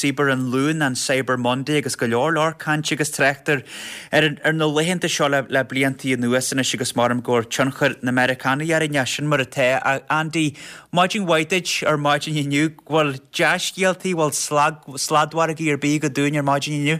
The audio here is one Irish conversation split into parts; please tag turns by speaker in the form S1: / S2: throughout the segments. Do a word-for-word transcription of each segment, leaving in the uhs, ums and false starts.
S1: Cibear an Luain, an Cyber Monday agus go leor leor cainte agus tráchta ar, ar na laethanta seo le, le blianta anuas anois agus maram go tionchar na Meiriceánaigh orainne sin mar atá Andy Maidin mhaith duit ar maidin inniu bhfuil dea-scéaltaí bhfuil sladmhargaí ar bith agat dúinn ar maidin inniu?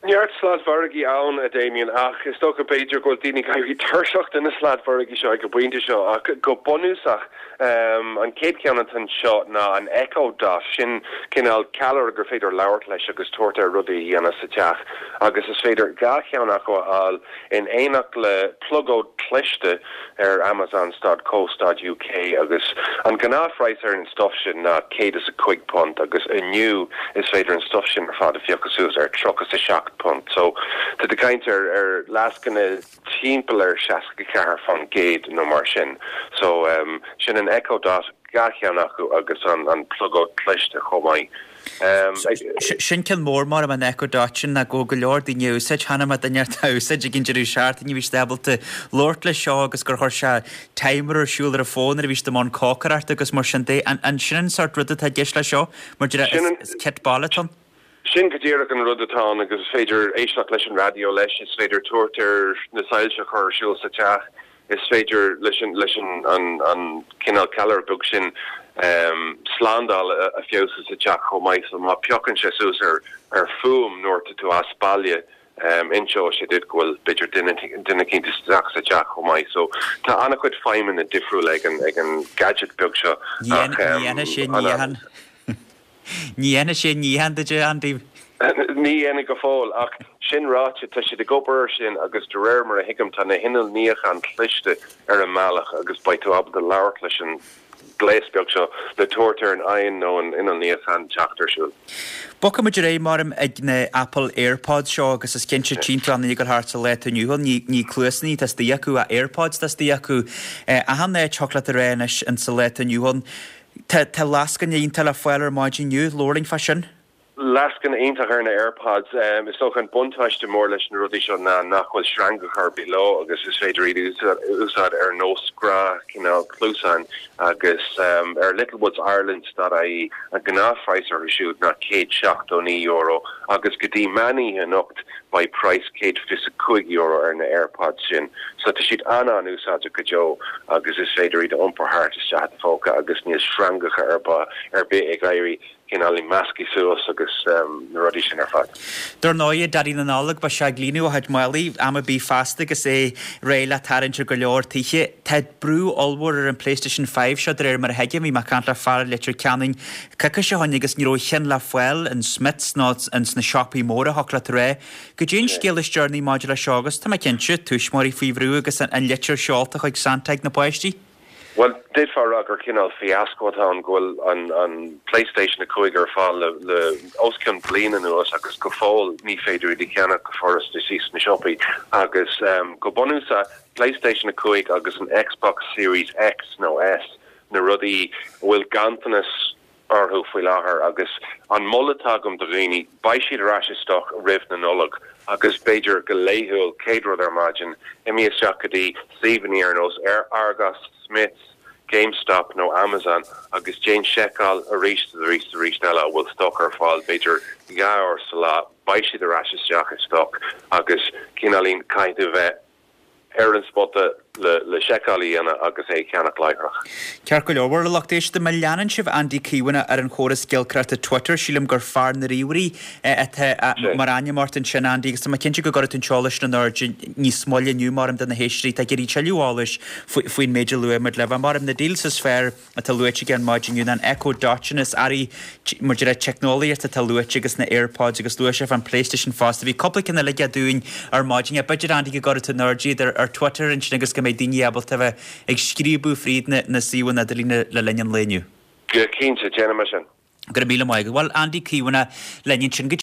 S2: Neart sladmhargaí ann a Damien ach is dócha b'fhéidir go bhfuil daoine ag éirí tuirseach de na sladmhargaí seo ag an bpointe seo ach go bunúsach um, an chéad cheann anseo ná an Echo Dot sin cineál ceallra gur féidir labhairt leis agus tabhairt air rudaí a dhéanamh sa teach agus is féidir dhá cheann acu a fháil in éineacht le plugóid cliste ar Amazon.co.uk agus an gnáthphraghas ar an stuff sin ná céad is a cúig punt agus inniu is féidir an stuff sin ar fad a phiocadh suas ar tríocha a seacht punt. So tá tú ag caint ar ar lascaine timpeall ar seasca ceathair faoin gcéad nó mar sin. So um, sin an Echo Dot dhá cheann acu agus an, an plugóid cliste chomh maith. Um,
S1: sin ceann mór mar an Echo Dot sin na go go leor daoine úsáid cheana ma duine tá úsáid ag an deireadh seachtaine bhí ábalta labhairt le seo agus gur chuir sé timer ar siúl ar a fón a bhí i mbun cócaireachta agus mar sin de an, an sin an sort rud atá i gceist le seo mar is kit baile atá ann.
S2: Sin go díreach an rud atá agus is féidir éisteacht leis an raidió leis is féidir tabhairt air na soilse a chur ar siúl sa teach is féidir leis an leis an an, an cineál ceallra beag sin um, slándáil a, a fheabhsú sa teach chomh maith so má phiocann sé suas ar ar fuaim nuair atá tú as baile um, inseoidh sé duit go bhfuil b'fhéidir duine duine éicint isteach sa teach chomh maith so tá an-chuid feidhmeanna difriúil ag an ag an gadget beag seo
S1: Ní sé ní Ní dhéanfaidh sé níochán duit Andy.
S2: Ní dhéanfaidh go fóill ach sin ráite tá siad ag obair sin agus de réir mar a thuigim tá na hinnill níocháin cliste ar an mbealach agus beidh tú ábalta labhairt leis an gléas beag seo le tabhairt ar an oigheann nó an inneall níocháin teacht ar siúl.
S1: Bogfaimid ar aghaidh maram ag na Apple AirPods seo agus is cinnte tínta an gur thart sa le inniu ní ní cluasanna atá istigh acu a AirPods atá istigh acu achan áit chocolate ré anois in sa le inniu Tá tá lascaine iontach le fáil ar maidin inniu labhair linn fá sin?
S2: Lascaine iontach ar na AirPods um, is dócha an buntáiste mór leis na rudaí seo ná nach bhfuil sreangacha ar bith leo agus is féidir iad úsáid ar nós gnáth cineál cluasáin agus um, ar Littlewoods Ireland.ie an gnáthphraghas orthu siúd ná céad seachtó naoi euro agus go dtí meán anocht beidh praghas céad fiche cúig euro ar na AirPods sin. So tá siad an an-úsáideach go deo agus is féidir iad iompar thart isteach i do phóca agus níl sreangacha ar ba ar bith ag éirí cineál measctha suas agus um, na rudaí sin ar fad.
S1: Dar ndóigh Daidí na Nollag ba se glíú a had mailí am bí fásta agus é réidh le tarraingt ar go leor tithe. Tá brú ollmhór ar an PlayStation five seo de réir mar a thuigim bhí mé ag caint le fear Leitir Ceanainn coicís ó shin agus ní raibh ceann le fáil in Smiths ná in sna siopaí móra chocolate ré. Go dtí an scéal is deireanaí maidir le seo agus tá mé cinnte tuismitheoirí faoi bhrú agus an, an litir seolta chuig Santa ag na páistí.
S2: Well d'fhéadfá rá gur cineál fiasco atá ann go bhfuil an, an PlayStation a cúig ar fáil le, le os cionn bliain anuas agus go fóill ní féidir iad a cheannach go furasta sna siopaí agus um, go bunúsach PlayStation a cúig agus an Xbox Series X nó S na rudaí bhfuil ganntanas orthu faoi láthair agus an moladh atá agam do dhaoine beidh siad ar ais i stoc roimh na Nollag agus b'fhéidir go laethúil céad rud ar maidin imigh isteach go dtí suíomhanna ar nós ar Argos Smiths GameStop nó Amazon agus déan seiceáil arís arís arís eile a bhfuil stoc ar fáil b'fhéidir dhá uair sa lá beidh siad ar ais isteach i stoc agus cineáilín caithfidh tú bheith ar an spota le le seiceáil a dhéanamh agus é cheannach láithreach.
S1: Ceart go leor lucht éisteachta má leanann sibh Andy Caomhánach ar an chóras giolcaireachta Twitter sílim gur fear na ríomhairí atá mar ainm ort ansin Andy agus tá mé cinnte go gcuirfidh tú an t-eolas in airde níos moille inniu mar do na héisteoirí tá ag iarraidh tuilleadh eolais faoin méid a luaigh muid libh. Mar na deals is fearr atá luaite ar maidin inniu an Echo Dot is earraí mar de teicneolaíocht atá luaite agus na AirPods agus luaigh sé an PlayStation fosta. Bhí cúpla ceann eile dúinn ar maidin b'fhéidir Andy go gcuirfidh tú in airde iad ar Twitter ansin agus go mbeidh daoine ábalta bheith ag scríobadh fríd na, na suíomhanna idirlín le linn an lae inniu.
S2: Go cinnte déanfaidh mé sin.
S1: Go míle maith, Well Andy Caomhánach linn ansin go